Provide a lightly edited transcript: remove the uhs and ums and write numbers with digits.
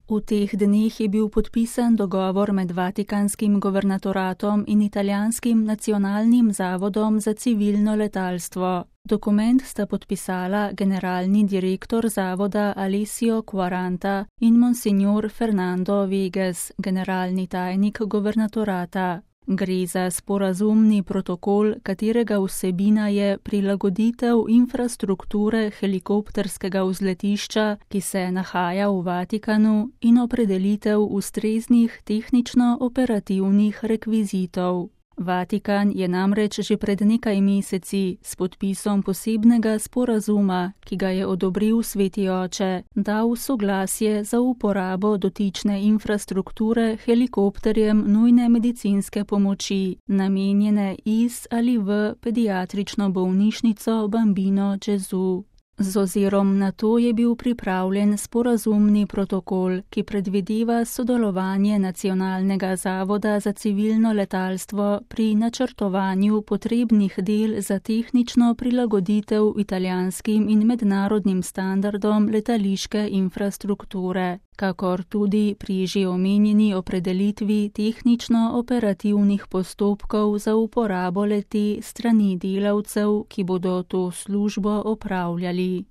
V teh dneh je bil podpisan dogovor med Vatikanskim guvernatoratom in Italijanskim nacionalnim zavodom za civilno letalstvo. Dokument sta podpisala generalni direktor zavoda Alessio Quaranta in monsignor Fernando Vegas, generalni tajnik guvernatorata. Gre za sporazumni protokol, katerega vsebina je prilagoditev infrastrukture helikopterskega vzletišča, ki se nahaja v Vatikanu, in opredelitev ustreznih tehnično-operativnih rekvizitov. Vatikan je namreč že pred nekaj meseci s podpisom posebnega sporazuma, ki ga je odobril Sveti oče, dal soglasje za uporabo dotične infrastrukture helikopterjem nujne medicinske pomoči, namenjene iz ali v pediatrično bolnišnico Bambino Gesù. Z ozirom na to je bil pripravljen sporazumni protokol, ki predvideva sodelovanje Nacionalnega zavoda za civilno letalstvo pri načrtovanju potrebnih del za tehnično prilagoditev italijanskim in mednarodnim standardom letališke infrastrukture, kakor tudi pri že omenjeni opredelitvi tehnično-operativnih postopkov za uporabo le-te strani delavcev, ki bodo to službo opravljali.